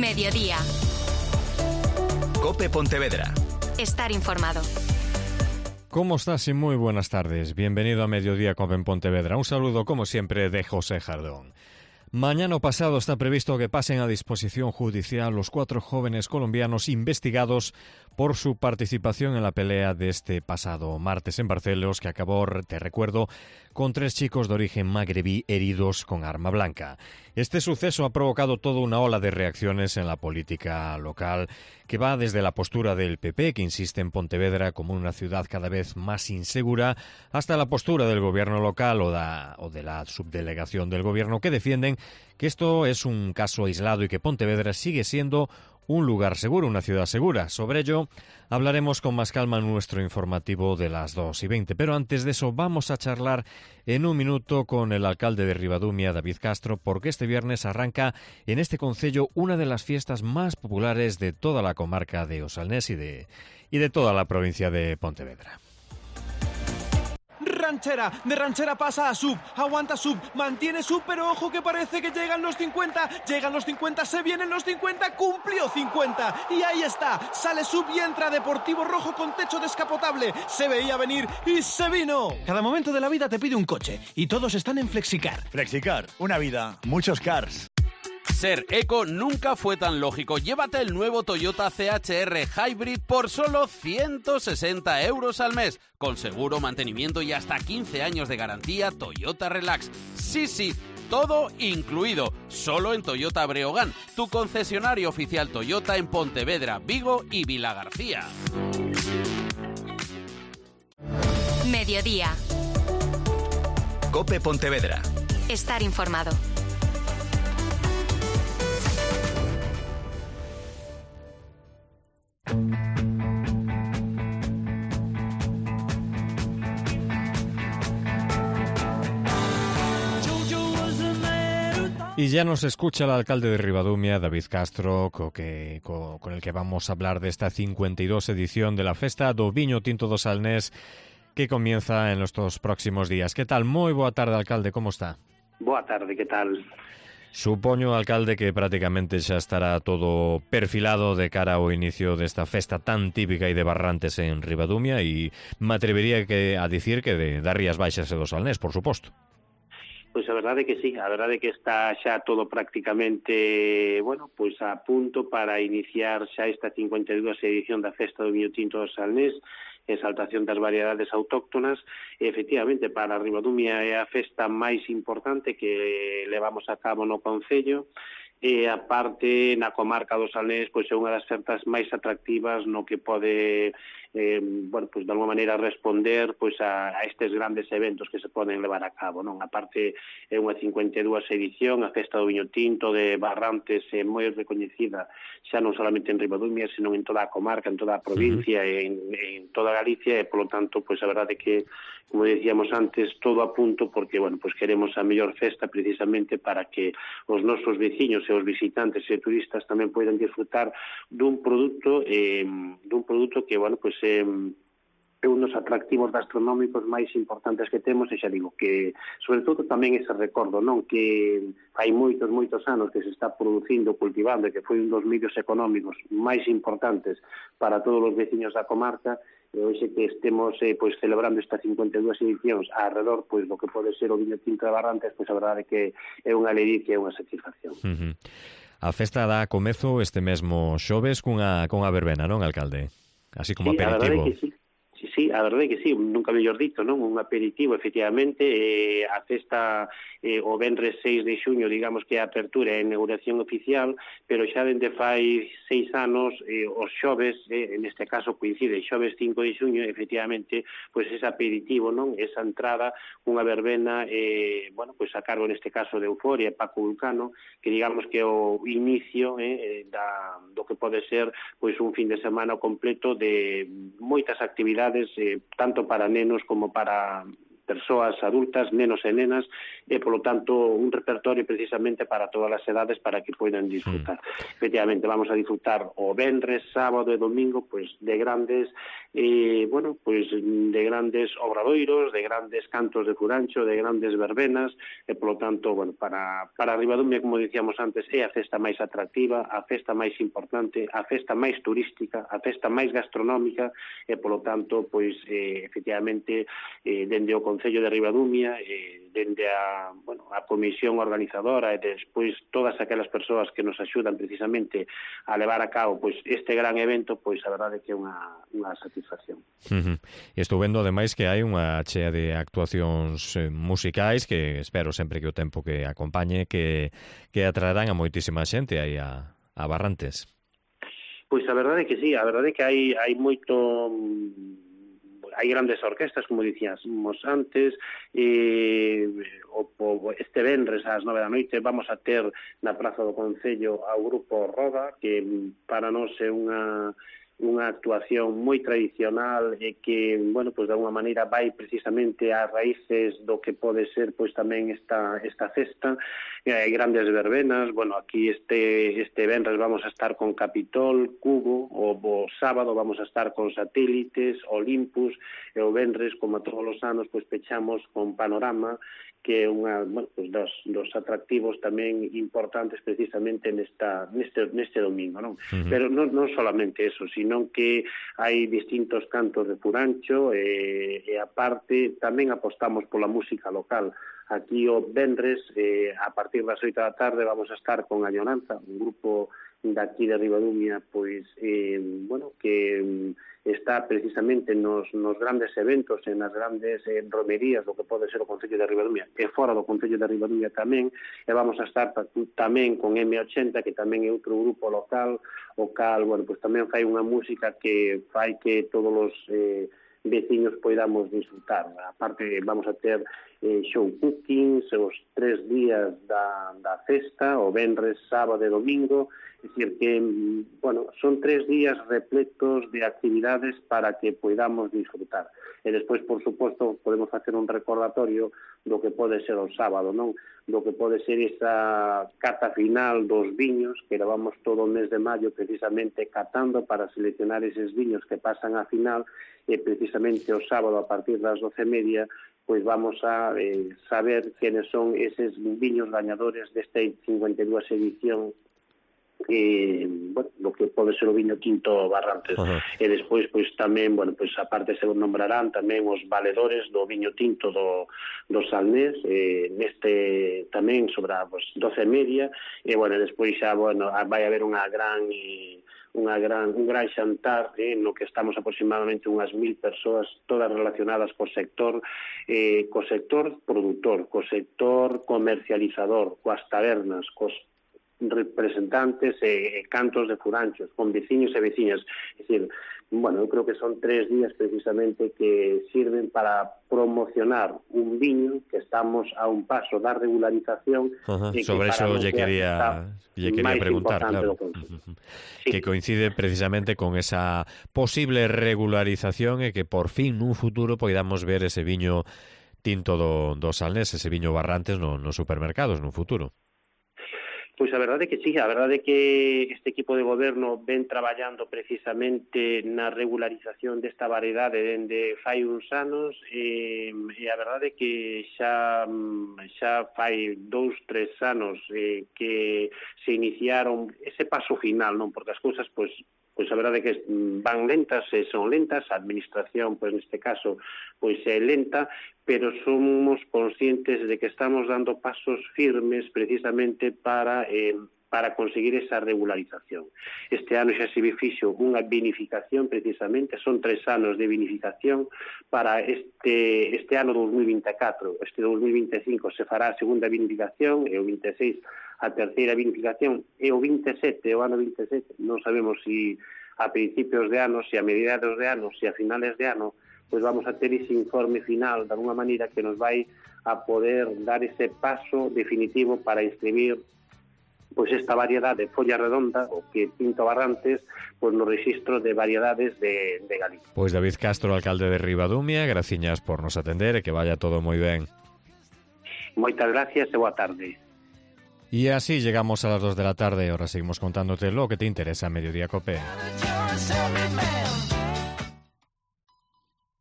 Mediodía. COPE Pontevedra. Estar informado. ¿Cómo estás? Y muy buenas tardes. Bienvenido a Mediodía COPE en Pontevedra. Un saludo, como siempre, de José Jardón. Mañana pasado está previsto que pasen a disposición judicial los 4 jóvenes colombianos investigados por su participación en la pelea de este pasado martes en Barcelos, que acabó, te recuerdo, con 3 chicos de origen magrebí heridos con arma blanca. Este suceso ha provocado toda una ola de reacciones en la política local, que va desde la postura del PP, que insiste en Pontevedra como una ciudad cada vez más insegura, hasta la postura del gobierno local o de la subdelegación del gobierno, que defienden que esto es un caso aislado y que Pontevedra sigue siendo un lugar seguro, una ciudad segura. Sobre ello hablaremos con más calma en nuestro informativo de las 2:20. Pero antes de eso vamos a charlar en un minuto con el alcalde de Ribadumia, David Castro, porque este viernes arranca en este concello una de las fiestas más populares de toda la comarca de O Salnés y de toda la provincia de Pontevedra. De ranchera pasa a sub, aguanta sub, mantiene sub, pero ojo que parece que llegan los 50, se vienen los 50, cumplió 50, y ahí está, sale sub y entra Deportivo Rojo con techo descapotable, se veía venir y se vino. Cada momento de la vida te pide un coche, y todos están en Flexicar. Flexicar, una vida, muchos cars. Ser eco nunca fue tan lógico. Llévate el nuevo Toyota CHR Hybrid por solo 160 euros al mes. Con seguro, mantenimiento y hasta 15 años de garantía Toyota Relax. Sí, todo incluido. Solo en Toyota Breogán, tu concesionario oficial Toyota en Pontevedra, Vigo y Vilagarcía. Mediodía. COPE Pontevedra. Estar informado. Y ya nos escucha el alcalde de Ribadumia, David Castro, con el que vamos a hablar de esta 52 edición de la Festa do Viño Tinto do Salnés, que comienza en estos próximos días. ¿Qué tal? Moi boa tarde, alcalde, como está? Boa tarde, que tal? Supoño, alcalde, que prácticamente xa estará todo perfilado de cara ao inicio desta festa tan típica e de Barrantes en Ribadumia, e me atrevería a dicir que das Rías Baixas e do Salnés, por suposto. Pois a verdade que sí, a verdade que está xa todo prácticamente, pois a punto para iniciar xa esta 52 edición da Festa do Viño Tinto do Salnés, exaltación das variedades autóctonas. E, efectivamente, para Ribadumia é a festa máis importante que levamos a cabo no concello, e a parte na comarca do Salnés pois é unha das festas máis atractivas no que pode pois de alguma maneira responder pois a estes grandes eventos que se poden levar a cabo, non? A parte é unha 52 edición, a Festa do Viño Tinto de Barrantes é moi recoñecida xa non solamente en Ribadumia, senón en toda a comarca, en toda a provincia, en toda Galicia, e polo tanto, pois a verdade que, como decíamos antes, todo a punto porque, pois queremos a mellor festa precisamente para que os nosos veciños e os visitantes e turistas tamén poden disfrutar dun produto que, pois é un dos atractivos gastronómicos máis importantes que temos, e xa digo que, sobre todo, tamén ese recordo, non? Que hai moitos anos que se está producindo, cultivando, e que foi un dos medios económicos máis importantes para todos os veciños da comarca, e hoxe que estemos pois celebrando esta 52 edicións alrededor pois do que pode ser o Viño Tinto de Barrantes, pois a verdade que é unha alegría e unha satisfacción. A festa dá comezo este mesmo xoves cunha verbena, non, alcalde? Así como aperitivo. A verdade que sí. Sí, a verdade que sí, nunca mellor dito, non? Un aperitivo, efectivamente, a festa o venres 6 de xuño, digamos que a apertura e a inauguración oficial, pero xa dende fai 6 anos, os xoves, neste caso coincide, xoves 5 de xuño, efectivamente, pois ese aperitivo, non? Esa entrada, unha verbena, pois a cargo neste caso de Euforia e Paco Vulcano, que digamos que é o inicio do que pode ser pois un fin de semana completo de moitas actividades, tanto para nenos como para persoas adultas, nenos e nenas, e polo tanto un repertorio precisamente para todas as edades para que poidan disfrutar. Efectivamente, vamos a disfrutar o venres, sábado e domingo, pois de grandes de grandes obradoiros, de grandes cantos de furancho, de grandes verbenas, e polo tanto, para Ribadumia, como dicíamos antes, é a festa máis atractiva, a festa máis importante, a festa máis turística, a festa máis gastronómica, e polo tanto, pois efectivamente, dende o Concello de Ribadumia, dende a comisión organizadora e despois todas aquelas persoas que nos axudan precisamente a levar a cabo pois este gran evento, pois a verdade que é unha satisfacción. Estou vendo ademais que hai unha chea de actuacións musicais que espero sempre que o tempo que acompañe que atraerán a moitísima xente aí a Barrantes. Pois a verdade que sí, a verdade que hai moito... Hai grandes orquestas, como dicíamos antes, este venres ás 9 da noite vamos a ter na Praza do Concello ao grupo Roda, que para nós é unha actuación moi tradicional e que, pois de alguma maneira vai precisamente ás raíces do que pode ser pois tamén esta festa. Hai grandes verbenas, aquí este venres vamos a estar con Capitol, Cubo, o sábado vamos a estar con Satélites, Olympus, e o venres, como todos os anos, pois pechamos con Panorama, que é dos atractivos tamén importantes precisamente neste domingo, non? Pero non solamente eso, sino que hai distintos cantos de furancho e aparte tamén apostamos pola música local. Aquí o venres, a partir das 8 da tarde, vamos a estar con Añoranza, un grupo daqui de Ribadumia, pois, que está precisamente nos grandes eventos, nas grandes romerías do que pode ser o Concello de Ribadumia, e fora do Concello de Ribadumia tamén, e vamos a estar tamén con M80, que tamén é outro grupo local, o cal, pois tamén fai unha música que fai que todos os veciños poidamos disfrutar. Aparte, vamos a ter show cookings, os 3 días da festa, o venres, sábado e domingo, é dicir que, son 3 días repletos de actividades para que poidamos disfrutar. E despois, por suposto, podemos facer un recordatorio do que pode ser o sábado, non? Do que pode ser esa cata final dos viños, que levamos todo o mes de maio precisamente catando para seleccionar eses viños que pasan a final, e precisamente o sábado a partir das 12:30 pois vamos a saber quenes son eses viños gañadores desta 52 edición do que pode ser o viño Tinto Barrantes. E despois, pois tamén, aparte se nombrarán tamén os valedores do viño tinto do Salnés, neste tamén sobre as 12:30, e despois xa, vai haber un gran xantar no que estamos aproximadamente unhas 1000 persoas, todas relacionadas co sector produtor, co sector comercializador, coas tabernas, cos representantes e cantos de furanchos, con veciños e veciñas. É dicir, eu creo que son 3 días precisamente que sirven para promocionar un viño que estamos a un paso da regularización. Sobre iso lle quería preguntar, claro. Sí. Que coincide precisamente con esa posible regularización e que por fin nun futuro poidamos ver ese viño tinto do Salnés, ese viño Barrantes nos supermercados nun futuro. Pois a verdade que sí, a verdade que este equipo de goberno ven traballando precisamente na regularización desta variedade dende fai uns anos e a verdade que xa fai 2-3 anos que se iniciaron ese paso final, non? Porque as cousas, pois a verdade que van lentas e son lentas, a administración, pois neste caso, pois é lenta, pero somos conscientes de que estamos dando pasos firmes precisamente para conseguir esa regularización. Este ano xa se fixo unha vinificación precisamente, son 3 anos de vinificación para este ano 2024. Este 2025 se fará a segunda vinificación e o 26 a terceira vinificación e o 27, o ano 27, non sabemos se a principios de ano, se a mediados de ano, se a finales de ano, pois vamos a ter ese informe final de alguma maneira que nos vai a poder dar ese paso definitivo para inscribir pois esta variedade de folla redonda, o que Pinto Barrantes, pois no rexistro de variedades de Galicia. Pois David Castro, alcalde de Ribadumia, graciñas por nos atender e que vaya todo moi ben. Moitas gracias e boa tarde. Y así llegamos a las 2 de la tarde. Ahora seguimos contándote lo que te interesa en Mediodía Cope.